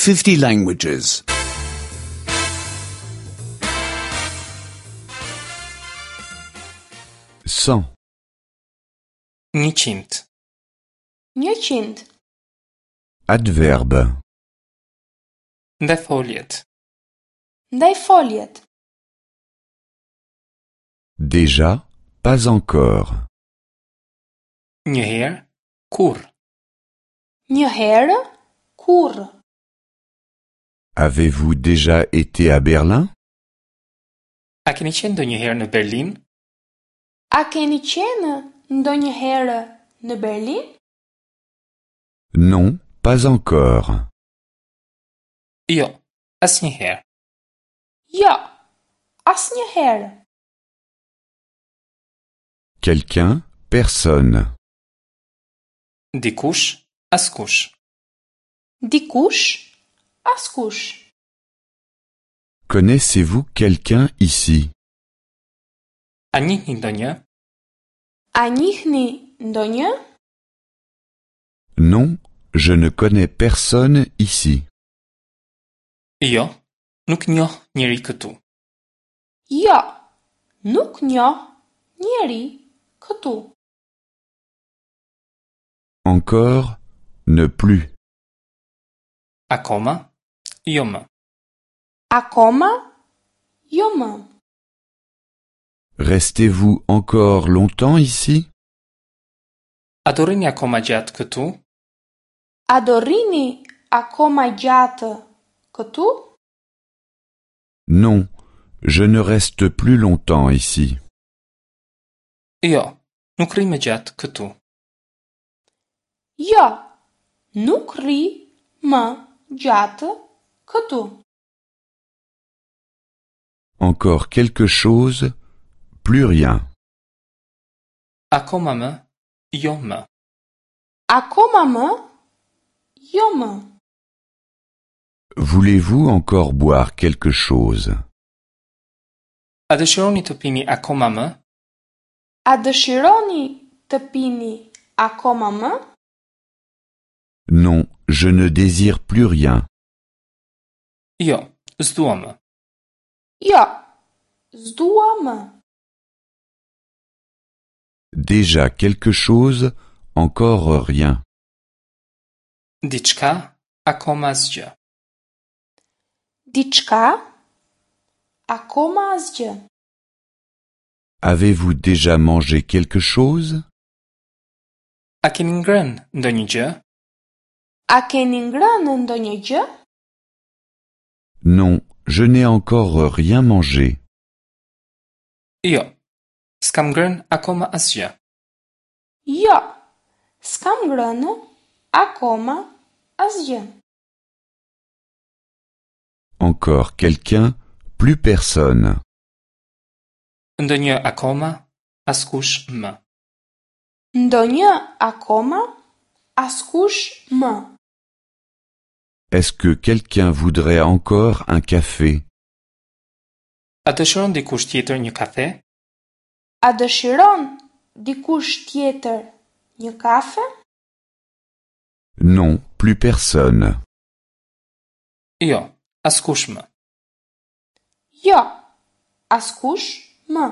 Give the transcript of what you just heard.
50 languages. 100. 100. 100. Adverbe. Ndajfoljet. Ndajfoljet. Déjà, pas encore. Një herë, kurrë. Një herë, kurrë. Avez-vous déjà été à Berlin? A keni qenë ndonjëherë në Berlin? A keni qenë ndonjëherë në Berlin? Non, pas encore. Jo, asnjëherë. Jo, asnjëherë. Quelqu'un, personne. Dikush, askush. Dikush, askush. Connaissez-vous quelqu'un ici? A njihni ndonjë? A njihni ndonjë? Non, je ne connais personne ici. Jo, nuk njoh njeri këtu. Jo, nuk njoh njeri këtu. Encore, ne plus. Akoma, jo më. Akoma, jo më. Restez-vous encore longtemps ici? A do rrini akoma gjatë këtu? A do rrini akoma gjatë këtu? Non, je ne reste plus longtemps ici. Jo, nuk rri më gjatë këtu. Jo, nuk rri më gjatë këtu. Encore quelque chose, plus rien. Akoma më, jo më. Akoma më, jo më. Voulez-vous encore boire quelque chose? A dëshironi të pini akoma më? A dëshironi të pini akoma më? Non, je ne désire plus rien. Jo, s'dua më. Jo, s'dua më. Déjà quelque chose, encore rien. Diçka, akoma asgjë. Diçka, akoma asgjë. Avez-vous déjà mangé quelque chose? A keni ngrënë ndonjë gjë? A keni ngrënë ndonjë gjë? Non, je n'ai encore rien mangé. Jo, s'kam ngrënë akoma asgjë. Jo, s'kam ngrënë akoma asgjë. Encore quelqu'un, plus personne. Ndonjë akoma, askush më. Ndonjë akoma, askush më. Est-ce que quelqu'un voudrait encore un café? A dëshiron dikush tjetër një kafe? A dëshiron dikush tjetër një kafe? Non, plus personne. Jo, askush më. Jo, askush më.